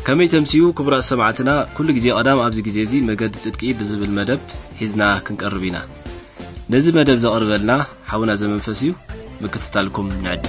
ከመይ ተምስዩ ክቡራት ሰማዕትና፣ ኩሉ ግዜ ቀዳም ኣብዚ ግዜ እዚ መገዲ ጽድቂ ብዝብል መደብ ሒዝና ክንቀርብ ኢና። ነዚ መደብ ዘቕርበልና ሓውና ዘመንፈስ እዩ። ምክትታልኩም ንዕድ።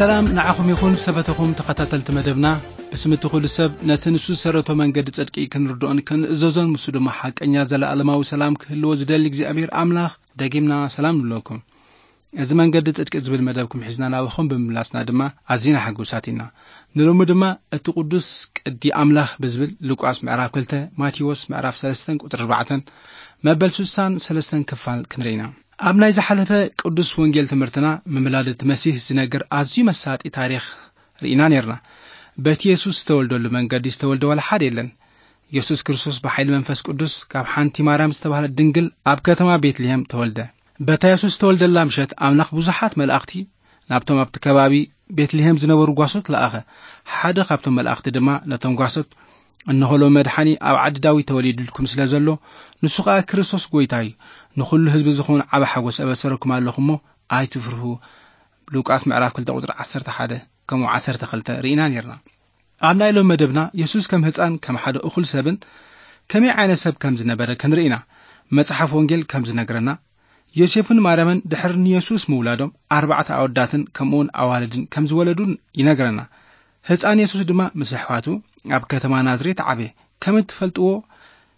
ሰላም ንዓኹም ይኹን ሰበተኹም ተኸታተልቲ መደብና። ብስምቲ ኩሉ ሰብ ነቲ ንሱ ዝሰረቶ መንገዲ ጽድቂ ክንርድኦን ክንእዘዞን፣ ምሱ ድማ ሓቀኛ ዘለኣለማዊ ሰላም ክህልዎ ዝደሊ እግዚኣብሔር ኣምላኽ ደጊምና ሰላም ንብለኩም። እዚ መንገዲ ጽድቂ ዝብል መደብኩም ሒዝና ናባኹም ብምምላስና ድማ ኣዚና ሕጉሳት ኢና። ንሎሚ ድማ እቲ ቅዱስ ቅዲ ኣምላኽ ብዝብል ሉቃስ ምዕራፍ ክልተ፣ ማቴዎስ ምዕራፍ ሰለስተን ቁጽሪ ኣርባዕተን፣ መበል ስሳን ሰለስተን ክፋል ክንርኢ ኢና። ኣብ ናይ ዝሓለፈ ቅዱስ ወንጌል ትምህርትና ምምላድ እቲ መሲህ ዝነግር ኣዝዩ መሳጢ ታሪኽ ርኢና ኔርና። በቲ የሱስ ዝተወልደሉ መንገዲ ዝተወልደ ዋላ ሓደ የለን። የሱስ ክርስቶስ ብሓይሊ መንፈስ ቅዱስ ካብ ሓንቲ ማርያም ዝተባህለት ድንግል ኣብ ከተማ ቤትልሄም ተወልደ። በታ የሱስ ዝተወልደላ ምሸት ኣምላኽ ብዙሓት መላእኽቲ ናብቶም ኣብቲ ከባቢ ቤትልሄም ዝነበሩ ጓሶት ለኣኸ። ሓደ ካብቶም መላእኽቲ ድማ ነቶም ጓሶት፣ "እንሆ ሎሚ መድሓኒ ኣብ ዓዲ ዳዊት ተወሊዱልኩም ስለ ዘሎ፣ ንሱ ኸኣ ክርስቶስ ጐይታ እዩ። ንኹሉ ህዝቢ ዝኸውን ዓቢ ሓጎስ እበሰረኩም ኣለኹ እሞ ኣይትፍርሁ።" ሉቃስ ምዕራፍ ክልተ ቁጽሪ ዓሰርተ ሓደ ከምኡ ዓሰርተ ክልተ ርኢና ኔርና። ኣብ ናይ ሎም መደብና የሱስ ከም ህጻን ከም ሓደ እኹል ሰብን ከመይ ዓይነት ሰብ ከም ዝነበረ ክንርኢ ኢና። መጽሓፍ ወንጌል ከም ዝነግረና፣ ዮሴፍን ማርያምን ድሕሪ ንየሱስ ምውላዶም ኣርባዕተ ኣወዳትን ከምኡውን ኣዋልድን ከም ዝወለዱን ይነግረና። ህጻን የሱስ ድማ ምስ ኣሕዋቱ ኣብ ከተማ ናዝሬት ዓበየ። ከም እትፈልጥዎ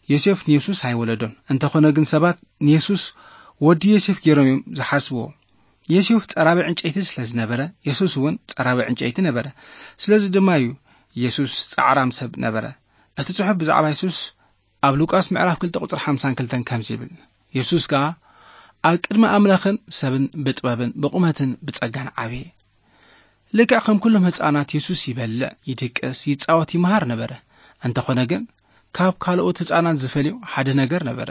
ዮሴፍ ንየሱስ ኣይወለዶን። እንተኾነ ግን ሰባት ንየሱስ ወዲ ዮሴፍ ገይሮም እዮም ዝሓስብዎ። ዮሴፍ ጸራቢ ዕንጨይቲ ስለ ዝነበረ፣ የሱስ እውን ጸራቢ ዕንጨይቲ ነበረ። ስለዚ ድማ እዩ የሱስ ጻዕራም ሰብ ነበረ። እቲ ጽሑፍ ብዛዕባ የሱስ ኣብ ሉቃስ ምዕራፍ ክልተ ቁጽሪ ሓምሳን ክልተን ከምዚ ይብል፣ "የሱስ ከኣ ኣብ ቅድሚ ኣምላኽን ሰብን ብጥበብን ብቑመትን ብጸጋን ዓብየ። ልክዕ ከም ኩሎም ህጻናት የሱስ ይበልዕ፣ ይድቅስ፣ ይጻወት፣ ይመሃር ነበረ። እንተኾነ ግን ካብ ካልኦት ህጻናት ዝፈልዮ ሓደ ነገር ነበረ።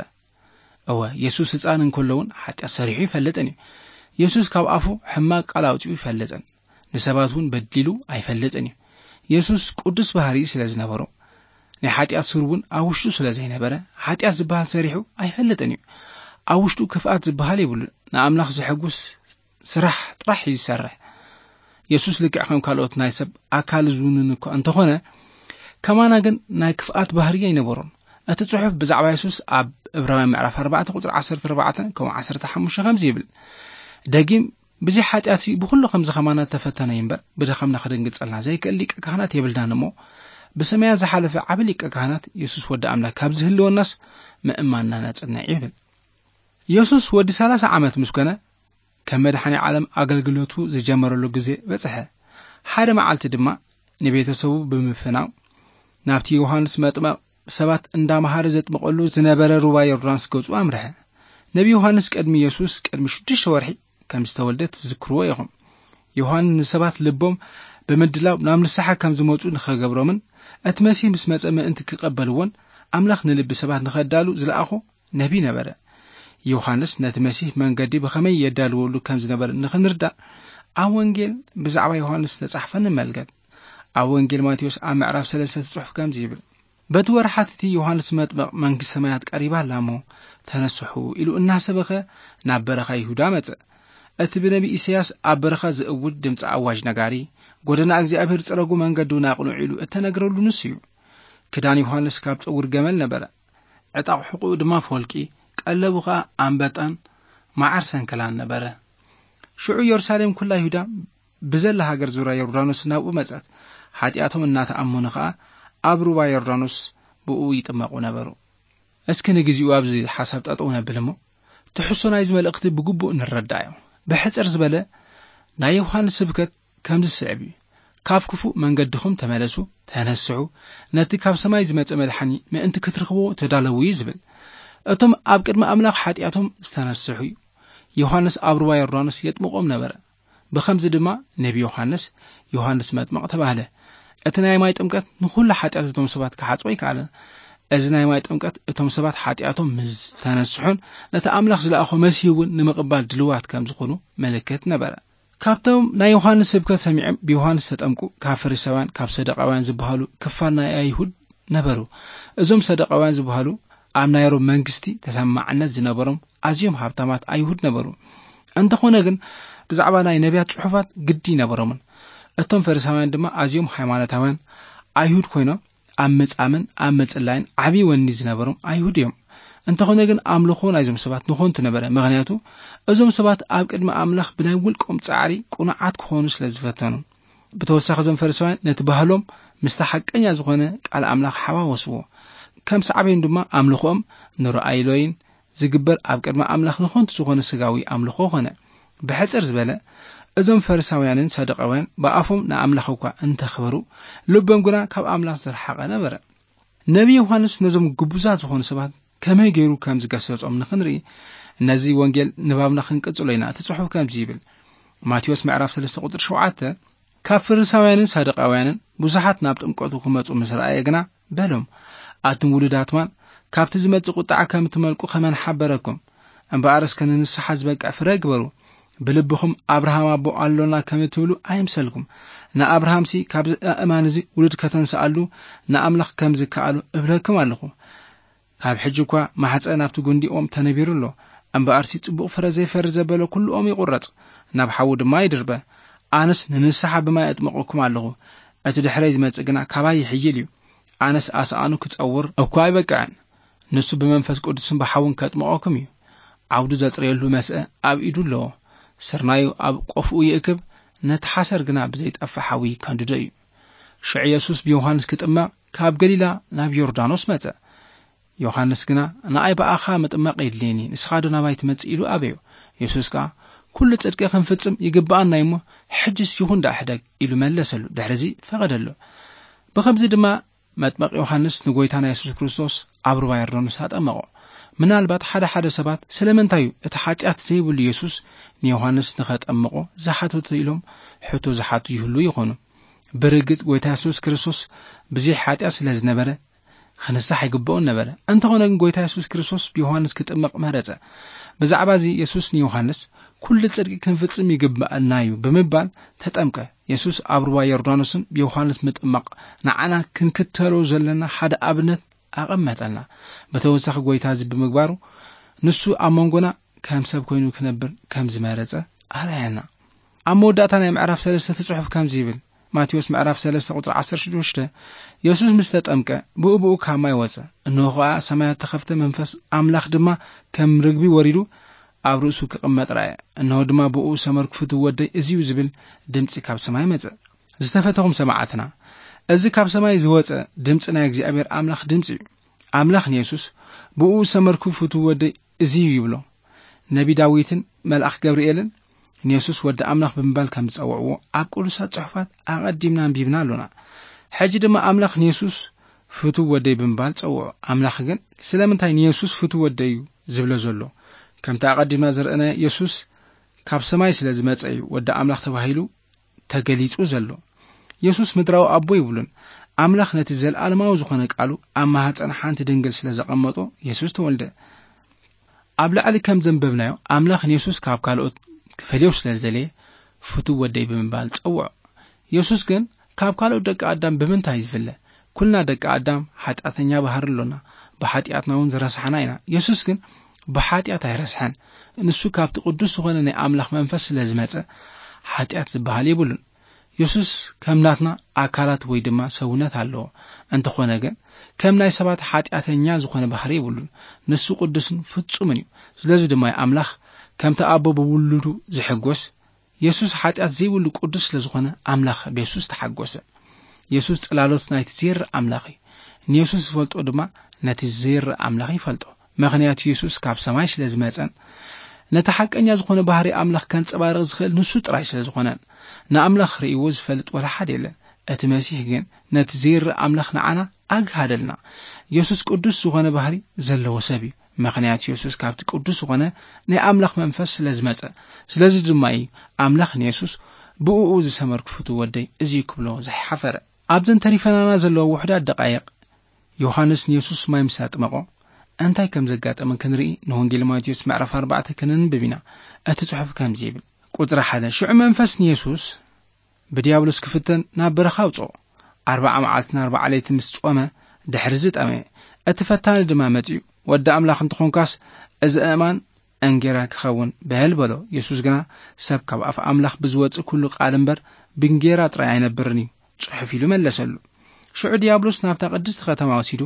እወ፣ የሱስ ህጻን እንከሎ እውን ሓጢኣት ሰሪሑ ይፈልጥን እዩ። የሱስ ካብ ኣፉ ሕማቅ ቃል ኣውጺኡ ይፈልጥን ንሰባት እውን በዲሉ ኣይፈልጥን እዩ። የሱስ ቅዱስ ባህሪ ስለ ዝነበሮ፣ ናይ ሓጢኣት ሱር እውን ኣብ ውሽጡ ስለ ዘይነበረ፣ ሓጢኣት ዝበሃል ሰሪሑ ኣይፈልጥን እዩ። ኣብ ውሽጡ ክፍኣት ዝበሃል የብሉን። ንኣምላኽ ዘሐጉስ ስራሕ ጥራሕ እዩ ዝሰርሕ። የሱስ ልክዕ ከም ካልኦት ናይ ሰብ ኣካል ዝውንን እኳ እንተኾነ፣ ከማና ግን ናይ ክፍኣት ባህሪ ኣይነበሮን። እቲ ጽሑፍ ብዛዕባ የሱስ ኣብ ዕብራውያን ምዕራፍ ኣርባዕተ ቁጽሪ ዓሰርተ ኣርባዕተ ከምኡ ዓሰርተ ሓሙሽተ ከምዚ ይብል፣ ደጊም ብዘይ ሓጢኣትሲ ብኹሉ ከምዚ ከማና ተፈተነ እዩ እምበር፣ ብድኻምና ክድንግጸልና ዘይክእል ሊቀ ካህናት የብልናን እሞ፣ ብሰማያት ዝሓለፈ ዓቢ ሊቀ ካህናት የሱስ ወዲ ኣምላኽ ካብ ዝህልወናስ ምእማንና ነጽንዕ ይብል። የሱስ ወዲ ሰላሳ ዓመት ምስ ኮነ፣ ከም መድሓኒ ዓለም ኣገልግሎቱ ዝጀመረሉ ግዜ በጽሐ። ሓደ መዓልቲ ድማ ንቤተሰቡ ብምፍናው ናብቲ ዮሃንስ መጥመቕ ሰባት እንዳመሃረ ዘጥምቐሉ ዝነበረ ሩባ ዮርዳኖስ ገጹ ኣምርሐ። ነቢ ዮሃንስ ቅድሚ የሱስ ቅድሚ ሽዱሽተ ወርሒ ከም ዝተወልደ ትዝክርዎ ኢኹም። ዮሃንስ ንሰባት ልቦም ብምድላው ናብ ንስሓ ከም ዝመጹ ንኸገብሮምን እቲ መሲህ ምስ መጸ ምእንቲ ክቐበልዎን ኣምላኽ ንልቢ ሰባት ንኸዳሉ ዝለኣኾ ነቢ ነበረ። ዮሃንስ ነቲ መሲህ መንገዲ ብኸመይ የዳልወሉ ከም ዝነበረ ንኽንርዳእ ኣብ ወንጌል ብዛዕባ ዮሃንስ ዝተጻሕፈ ንመልከት። ኣብ ወንጌል ማቴዎስ ኣብ ምዕራፍ ሰለስተ ጽሑፍ ከምዚ ይብል፣ "በቲ ወርሓት እቲ ዮሃንስ መጥመቕ መንግስቲ ሰማያት ቀሪባ ኣላ እሞ ተነስሑ" ኢሉ እናሰበኸ ናብ በረኻ ይሁዳ መጸ። እቲ ብነቢ ኢሳያስ ኣብ በረኻ ዝእውጅ ድምፂ ኣዋጅ ነጋሪ፣ "ጎደና እግዚኣብሔር ጽረጉ መንገዱ ናቕንዑ" ኢሉ እተነግረሉ ንሱ እዩ። ክዳን ዮሃንስ ካብ ጸጉሪ ገመል ነበረ፣ ዕጣቕ ሕቑኡ ድማ ፎልቂ፣ ቀለቡ ኸኣ ኣንበጣን መዓር ሰንከላን ነበረ። ሽዑ ኢየሩሳሌም ኩላ ይሁዳ ብዘላ ሃገር ዙርያ ዮርዳኖስ ናብኡ መጸት። ሓጢኣቶም እናተኣመኑ ኸኣ ኣብ ሩባ ዮርዳኖስ ብኡ ይጥመቑ ነበሩ። እስኪ ንግዚኡ ኣብዚ ሓሳብ ጠጠው ነብል እሞ፣ ትሕዝቶ ናይዚ መልእኽቲ ብግቡእ ንረዳእዮ። ብሕጽር ዝበለ ናይ ዮሃንስ ስብከት ከምዚ ዝስዕብ እዩ። ካብ ክፉእ መንገድኹም ተመለሱ፣ ተነስሑ፣ ነቲ ካብ ሰማይ ዝመጸ መድሓኒ ምእንቲ ክትረኽብዎ ተዳለዉ እዩ ዝብል። እቶም ኣብ ቅድሚ ኣምላኽ ሓጢኣቶም ዝተነስሑ እዩ። ዮሃንስ ኣብ ሩባ ዮርዳኖስ የጥምቖም ነበረ። ብኸምዚ ድማ ነቢ ዮሃንስ፣ ዮሃንስ መጥምቕ ተባህለ። እቲ ናይ ማይ ጥምቀት ንኹሉ ሓጢኣት እቶም ሰባት ክሓጽቦ ኣይከኣለን። እዚ ናይ ማይ ጥምቀት እቶም ሰባት ሓጢኣቶም ምስ ተነስሑን ነቲ ኣምላኽ ዝለኣኾ መሲህ እውን ንምቕባል ድልዋት ከም ዝኾኑ ምልክት ነበረ። ካብቶም ናይ ዮሃንስ ስብከት ሰሚዖም ብዮሃንስ ተጠምቁ ካብ ፈሪሳውያን፣ ካብ ሰደቃውያን ዝበሃሉ ክፋል ናይ ኣይሁድ ነበሩ። እዞም ሰደቃውያን ዝበሃሉ ኣብ ናይ ሮም መንግስቲ ተሰማዕነት ዝነበሮም ኣዝዮም ሃብታማት ኣይሁድ ነበሩ። እንተኾነ ግን ብዛዕባ ናይ ነቢያት ጽሑፋት ግዲ ነበሮምን። እቶም ፈሪሳውያን ድማ ኣዝዮም ሃይማኖታውያን ኣይሁድ ኮይኖም ኣብ ምጻምን ኣብ ምጽላይን ዓብዪ ወኒ ዝነበሮም ኣይሁድ እዮም። እንተኾነ ግን ኣምልኾ ናይዞም ሰባት ንኾንቱ ነበረ። ምኽንያቱ እዞም ሰባት ኣብ ቅድሚ ኣምላኽ ብናይ ውልቆም ጻዕሪ ቁኑዓት ክኾኑ ስለ ዝፈተኑ። ብተወሳኺ እዞም ፈሪሳውያን ነቲ ባህሎም ምስቲ ሓቀኛ ዝኾነ ቃል ኣምላኽ ሓዋወስዎ። ከም ሳዕቤን ድማ ኣምልኾኦም ንረኣይሎይን ዝግበር ኣብ ቅድሚ ኣምላኽ ንኾንቱ ዝኾነ ስጋዊ ኣምልኾ ኾነ። ብሕጽር ዝበለ እዞም ፈሪሳውያንን ሰዱቃውያን ብኣፎም ንኣምላኽ እኳ እንተኽበሩ ልቦም ግና ካብ ኣምላኽ ዝረሓቐ ነበረ። ነቢ ዮሃንስ ነዞም ግቡዛት ዝኾኑ ሰባት ከመይ ገይሩ ከም ዝገሰጾም ንኽንርኢ ነዚ ወንጌል ንባብና ክንቅጽሎ ኢና። እቲ ጽሑፍ ከምዚ ይብል። ማቴዎስ ምዕራፍ ሰለስተ ቁጽሪ ሸውዓተ፣ ካብ ፈሪሳውያንን ሳዱቃውያንን ብዙሓት ናብ ጥምቀቱ ክመጹ ምስ ረኣየ ግና በሎም፣ ኣቱም ውሉድ ኣትማን፣ ካብቲ ዝመጽእ ቁጥዓ ከም እትመልቁ ከመን ሓበረኩም? እምበኣር እስከ ንንስሓ ዝበቅዕ ፍረ ግበሩ። ብልብኹም ኣብርሃም ኣቦ ኣሎና ከም እትብሉ ኣይምሰልኩም። ንኣብርሃምሲ ካብዚ ኣእማን እዚ ውሉድ ከተንስኣሉ ንኣምላኽ ከም ዝከኣሉ እብለኩም ኣለኹ። ካብ ሕጂ እኳ ማሕፀ ናብቲ ጉንዲ ኦም ተነቢሩ ኣሎ። እምበኣርሲ ጽቡቕ ፍረ ዘይፈሪ ዘበለ ኩሉ ኦም ይቑረጽ፣ ናብ ሓዊ ድማ ይድርበ። ኣነስ ንንስሓ ብማይ እጥምቐኩም ኣለኹ። እቲ ድሕረይ ዝመጽእ ግና ካባይ ይሕይል እዩ። ኣነስ ኣስኣኑ ክጸውር እኳ ኣይበቅዕን። ንሱ ብመንፈስ ቅዱስን ብሓውን ከጥምቐኩም እዩ። ዓውዱ ዘጽረየሉ መስአ ኣብ ኢዱ ኣለዎ። ስርናዩ ኣብ ቆፍኡ ይእክብ፣ ነቲ ሓሰር ግና ብዘይጠፍእ ሓዊ ከንድዶ እዩ። ሽዑ የሱስ ብዮሃንስ ክጥመቕ ካብ ገሊላ ናብ ዮርዳኖስ መጸ። ዮሃንስ ግና፣ "ንኣይ ብኣኻ ምጥማቕ የድልየኒ፣ ንስኻ ዶ ናባይ ትመጽእ?" ኢሉ ኣበዮ። የሱስ ከኣ፣ "ኩሉ ጽድቂ ክንፍጽም ይግብኣና እሞ፣ ሕጅስ ይኹን ደኣ ሕደግ" ኢሉ መለሰሉ። ድሕርዚ ፈቐደሉ። ብኸምዚ ድማ መጥመቕ ዮሃንስ ንጎይታና የሱስ ክርስቶስ ኣብ ሩባ ዮርዳኖስ ኣጠመቖ። ምናልባት ሓደ ሓደ ሰባት፣ "ስለምንታይ እዩ እቲ ሓጢኣት ዘይብሉ የሱስ ንዮሃንስ ንኸጠምቖ ዝሓተቶ?" ኢሎም ሕቶ ዝሓቱ ይህሉ ይኾኑ። ብርግጽ ጎይታ የሱስ ክርስቶስ ብዘይ ሓጢኣት ስለ ዝነበረ ክንሳሕ ይግብኦን ነበረ። እንተኾነ ግን ጎይታ የሱስ ክርስቶስ ብዮሃንስ ክጥመቕ መረጸ። ብዛዕባ እዚ የሱስ ንዮሃንስ፣ "ኩሉ ጽድቂ ክንፍጽም ይግብኣና እዩ" ብምባል ተጠምቀ። የሱስ ኣብ ሩባ ዮርዳኖስን ብዮሃንስ ምጥማቕ ንዓና ክንክተሎ ዘለና ሓደ ኣብነት ኣቐመጠልና። ብተወሳኺ ጎይታ እዚ ብምግባሩ ንሱ ኣብ መንጎና ከም ሰብ ኮይኑ ክነብር ከም ዝመረጸ ኣርኣየና። ኣብ መወዳእታ ናይ ምዕራፍ ሰለስተ እቲ ጽሑፍ ከምዚ ይብል። ማቴዎስ ምዕራፍ ሰለስተ ቁጽሪ ዓሰርተ ሽዱሽተ፣ የሱስ ምስ ተጠምቀ ብኡ ብኡ ካብ ማይ ወጸ። እንሆ ኸኣ ሰማያት ተኸፍተ፣ መንፈስ ኣምላኽ ድማ ከም ርግቢ ወሪዱ ኣብ ርእሱ ክቕመጥ ረኣየ። እንሆ ድማ ብኡ ዝሰመርኩ ፍቱው ወደይ እዚ እዩ ዝብል ድምጺ ካብ ሰማይ መጸ። ዝተፈተኹም ሰማዕትና፣ እዚ ካብ ሰማይ ዝወጸ ድምጺ ናይ እግዚኣብሔር ኣምላኽ ድምጺ እዩ። ኣምላኽ ንየሱስ ብኡ ዝሰመርኩ ፍቱው ወደይ እዚ እዩ ይብሎ። ነቢ ዳዊትን መልኣኽ ገብርኤልን ንየሱስ ወዲ ኣምላኽ ብምባል ከም ዝጸውዕዎ ኣብ ቅዱሳት ጽሑፋት ኣቐዲምና ኣንቢብና ኣሎና። ሕጂ ድማ ኣምላኽ ንየሱስ ፍቱው ወደይ ብምባል ጸውዖ። ኣምላኽ ግን ስለምንታይ ንየሱስ ፍቱው ወደይ እዩ ዝብሎ ዘሎ? ከምቲ ኣቐዲምና ዝረኣናዮ፣ የሱስ ካብ ሰማይ ስለ ዝመጸ እዩ ወዲ ኣምላኽ ተባሂሉ ተገሊጹ ዘሎ። የሱስ ምድራዊ ኣቦ የብሉን። ኣምላኽ ነቲ ዘለኣለማዊ ዝኾነ ቃሉ ኣብ ማህጸን ሓንቲ ድንግል ስለ ዘቐመጦ የሱስ ተወልደ። ኣብ ላዕሊ ከም ዘንበብናዮ፣ ኣምላኽ ንየሱስ ካብ ካልኦት ክፈልዮ ስለ ዝደለየ ፍቱው ወደይ ብምባል ጸውዖ። የሱስ ግን ካብ ካልኦት ደቂ ኣዳም ብምንታይ ዝፍለ? ኩልና ደቂ ኣዳም ሓጢኣተኛ ባህሪ ኣሎና፣ ብሓጢኣትና እውን ዝረሳሕና ኢና። የሱስ ግን ብሓጢኣት ኣይረስሐን። ንሱ ካብቲ ቅዱስ ዝኾነ ናይ ኣምላኽ መንፈስ ስለ ዝመጸ፣ ሓጢኣት ዝበሃል የብሉን። የሱስ ከም ናትና ኣካላት ወይ ድማ ሰውነት ኣለዎ። እንተኾነ ግን፣ ከም ናይ ሰባት ሓጢኣተኛ ዝኾነ ባህሪ የብሉን። ንሱ ቅዱስን ፍጹምን እዩ። ስለዚ ድማ ኣምላኽ ከምቲ ኣቦ ብውሉዱ ዝሕጎስ፣ የሱስ ሓጢኣት ዘይብሉ ቅዱስ ስለ ዝኾነ፣ ኣምላኽ ብየሱስ ተሓጎሰ። የሱስ ጽላሎት ናይቲ ዘይርእ ኣምላኽ እዩ። ንየሱስ ዝፈልጦ ድማ ነቲ ዘይርእ ኣምላኽ ይፈልጦ። ምኽንያቱ የሱስ ካብ ሰማይ ስለ ዝመጸን ነቲ ሓቀኛ ዝኾነ ባህሪ ኣምላኽ ከንጸባርቕ ዝኽእል ንሱ ጥራይ ስለ ዝኾነን፣ ንኣምላኽ ርእይዎ ዝፈልጥ ወላ ሓደ የለን። እቲ መሲሕ ግን ነቲ ዘይርእ ኣምላኽ ንዓና ኣግሃደልና። የሱስ ቅዱስ ዝኾነ ባህሪ ዘለዎ ሰብ እዩ። ምኽንያቱ የሱስ ካብቲ ቅዱስ ዝኾነ ናይ ኣምላኽ መንፈስ ስለ ዝመጸ። ስለዚ ድማ እዩ ኣምላኽ ንየሱስ ብእኡ ዝሰመርኩ ፍቱው ወደይ እዚ እዩ ክብሎ ዘይሓፈረ። ኣብዘን ተሪፈናና ዘለዎ ውሑዳት ደቃይቕ ዮሃንስ ንየሱስ ማይ ምስ ኣጥመቖ እንታይ ከም ዘጋጠመ ክንርኢ ንወንጌል ማቴዎስ ምዕራፍ ኣርባዕተ ክንንብብ ኢና። እቲ ጽሑፍ ከምዚ ይብል፣ ቁጽሪ ሓደ፣ ሽዑ መንፈስ ንየሱስ ብድያብሎስ ክፍተን ናብ በረኻ ኣውጽኦ። ኣርብዓ መዓልትን ኣርብዓ ለይቲ ምስ ጾመ ድሕሪ ዝጠመየ፣ እቲ ፈታኒ ድማ መጺኡ፣ "ወዲ ኣምላኽ እንተኾንካስ፣ እዚ ኣእማን እንጌራ ክኸውን በል" በሎ። የሱስ ግና፣ "ሰብ ካብ ኣፍ ኣምላኽ ብዝወጽእ ኩሉ ቃል እምበር ብእንጌራ ጥራይ ኣይነብርን እዩ፣ ጽሑፍ" ኢሉ መለሰሉ። ሽዑ ድያብሎስ ናብታ ቅድስቲ ከተማ ወሲዱ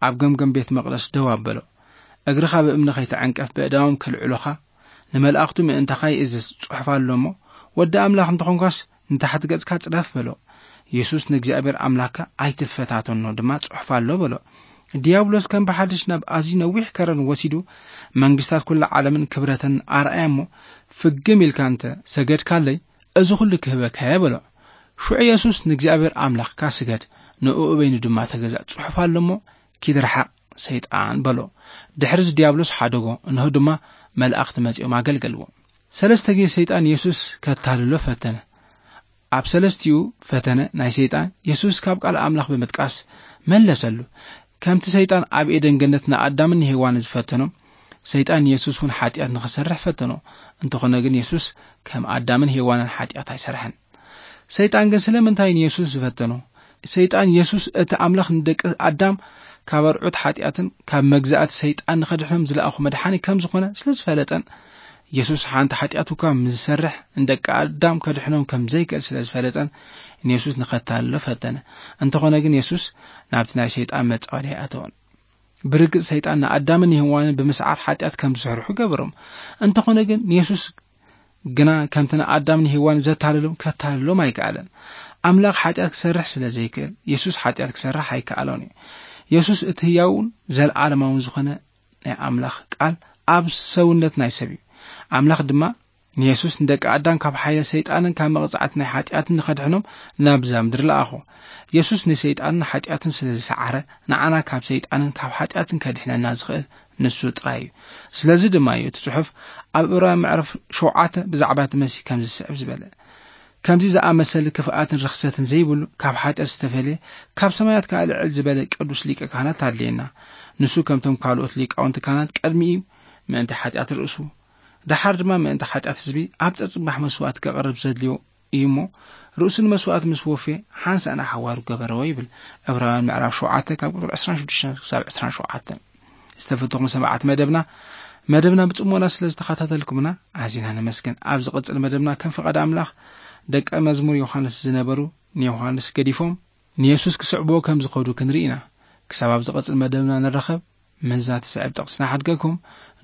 ኣብ ገምገም ቤት መቕደስ ደው ኣበሎ። "እግርኻ ብእምኒ ከይትዕንቀፍ ብእዳዎም ከልዕሉኻ ንመላእኽቱ ምእንታኻ ይእዝዝ፣ ጽሑፍ ኣሎ እሞ፣ ወዲ ኣምላኽ እንተኾንካስ ንታሕቲ ገጽካ ጽደፍ" በሎ። የሱስ "ንእግዚኣብሔር ኣምላኽካ ኣይትፈታተኖ ድማ ጽሑፍ ኣሎ" በሎ። ድያብሎስ ከም ብሓድሽ ናብ ኣዝዩ ነዊሕ ከረን ወሲዱ መንግስታት ኩላ ዓለምን ክብረተን ኣርኣያ እሞ፣ "ፍግም ኢልካ እንተ ሰገድካለይ፣ እዚ ኩሉ ክህበካ እየ" በሎ። ሽዑ የሱስ "ንእግዚኣብሔር ኣምላኽካ ስገድ፣ ንእኡ በይኑ ድማ ተገዛእ፣ ጽሑፍ ኣሎ እሞ፣ ኪድ ርሓቕ ሰይጣን" በሎ። ድሕሪዚ ድያብሎስ ሓደጎ፣ እንሆ ድማ መላእኽቲ መጺኦም ኣገልገልዎ። ሰለስተ ግዜ ሰይጣን የሱስ ከታልሎ ፈተነ። ኣብ ሰለስቲኡ ፈተነ ናይ ሰይጣን፣ የሱስ ካብ ቃል ኣምላኽ ብምጥቃስ መለሰሉ። ከምቲ ሰይጣን ኣብ ኤደን ገነት ንኣዳምን ንሄዋንን ዝፈተኖም፣ ሰይጣን ንየሱስ እውን ሓጢኣት ንኽሰርሕ ፈተኖ። እንተኾነ ግን የሱስ ከም ኣዳምን ሄዋንን ሓጢኣት ኣይሰርሐን። ሰይጣን ግን ስለምንታይ ንየሱስ ዝፈተኖ? ሰይጣን የሱስ እቲ ኣምላኽ ንደቂ ኣዳም ካብ ኣርዑት ሓጢኣትን ካብ መግዛእቲ ሰይጣን ንኸድሕኖም ዝለኣኹ መድሓኒ ከም ዝኾነ ስለ ዝፈለጠን፣ የሱስ ሓንቲ ሓጢኣት እኳ ምስ ዝሰርሕ ንደቂ ኣዳም ከድሕኖም ከም ዘይክእል ስለ ዝፈለጠን ንየሱስ ንኸታልሎ ፈተነ። እንተኾነ ግን የሱስ ናብቲ ናይ ሰይጣን መጻወድያ ኣይኣተወን። ብርግጽ ሰይጣን ንኣዳምን ንሄዋንን ብምስዓር ሓጢኣት ከም ዝሰርሑ ገበሮም። እንተኾነ ግን ንየሱስ ግና ከምቲ ንኣዳም ንሄዋን ዘታለሎም ከታልሎም ኣይከኣለን። ኣምላኽ ሓጢኣት ክሰርሕ ስለ ዘይክእል፣ የሱስ ሓጢኣት ክሰርሕ ኣይከኣሎን እዩ። የሱስ እቲ ህያውን ዘለኣለማውን ዝኾነ ናይ ኣምላኽ ቃል ኣብ ሰውነት ናይ ሰብ እዩ። ኣምላኽ ድማ ንየሱስ ንደቂ ኣዳም ካብ ሓይለ ሰይጣንን ካብ መቕጻዕቲ ናይ ሓጢኣትን ንኸድሕኖም ናብዛ ምድሪ ለኣኾ። የሱስ ንሰይጣንን ሓጢኣትን ስለ ዝሰዓረ፣ ንዓና ካብ ሰይጣንን ካብ ሓጢኣትን ከድሕነና ዝኽእል ንሱ ጥራይ እዩ። ስለዚ ድማ እዩ እቲ ጽሑፍ ኣብ ዕብራውያን ምዕራፍ ሸውዓተ ብዛዕባ እቲ መሲህ ከምዚ ዝስዕብ ዝበለ፣ "ከምዚ ዝኣመሰለ ክፍኣትን ርኽሰትን ዘይብሉ፣ ካብ ሓጢኣት ዝተፈልየ፣ ካብ ሰማያት ከኣ ልዕል ዝበለ ቅዱስ ሊቀ ካህናት ኣድልየና። ንሱ ከምቶም ካልኦት ሊቃውንቲ ካህናት ቀድሚኡ ምእንቲ ሓጢኣት ርእሱ፣ ደሓር ድማ ምእንቲ ሓጢኣት ህዝቢ ኣብ ጸጽባሕ መስዋእቲ ከቕርብ ዘድልዮ እዩ እሞ፣ ርእሱ ንመስዋእቲ ምስ ወፍየ፣ ሓንሳእ ንሓዋሩ ገበረዎ" ይብል። ዕብራውያን ምዕራፍ ሸውዓተ ካብ ቁጽሪ ዕስራን ሽዱሽተን ክሳብ ዕስራን ሸውዓተን። ዝተፈተኹም ሰማዕቲ መደብና፣ መደብና ብጽሞና ስለ ዝተኸታተልኩምና ኣዚና ነመስግን። ኣብ ዝቕጽል መደብና ከም ፍቓድ ኣምላኽ ደቀ መዝሙር ዮሃንስ ዝነበሩ ንዮሃንስ ገዲፎም ንየሱስ ክስዕብዎ ከም ዝኸዱ ክንርኢ ኢና። ክሳብ ኣብ ዝቕጽል መደብና ንራኸብ፣ ምስዛ ትስዕብ ጥቕሲ ንሓድገኩም፣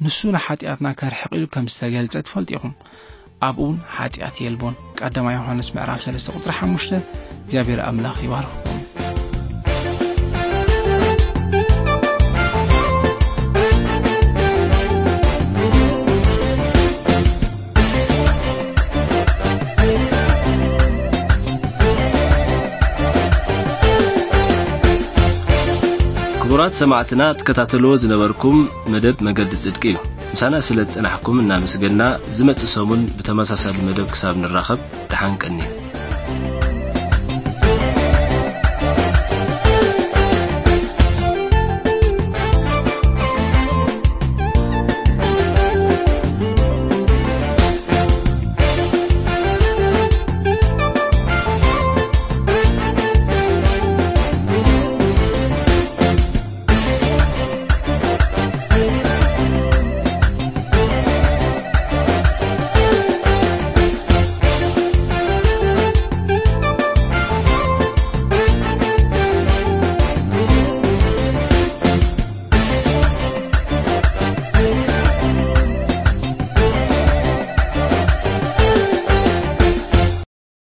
ንሱ ንሓጢኣትና ከርሕቕ ኢሉ ከም ዝተገልጸ ትፈልጡ ኢኹም። ኣብኡ እውን ሓጢኣት የልቦን። ቀዳማይ ዮሃንስ ምዕራፍ ሰለስተ ቁጽሪ ሓሙሽተ። እግዚኣብሔር ኣምላኽ ይባርኽኩም። ክቡራት ሰማዕትና፣ ትከታተልዎ ዝነበርኩም መደብ መገዲ ጽድቂ እዩ። ምሳና ስለ ዝጸናሕኩም እናመስገንና፣ ዝመጽእ ሰሙን ብተመሳሳሊ መደብ ክሳብ ንራኸብ፣ ደሓን ቀኒ።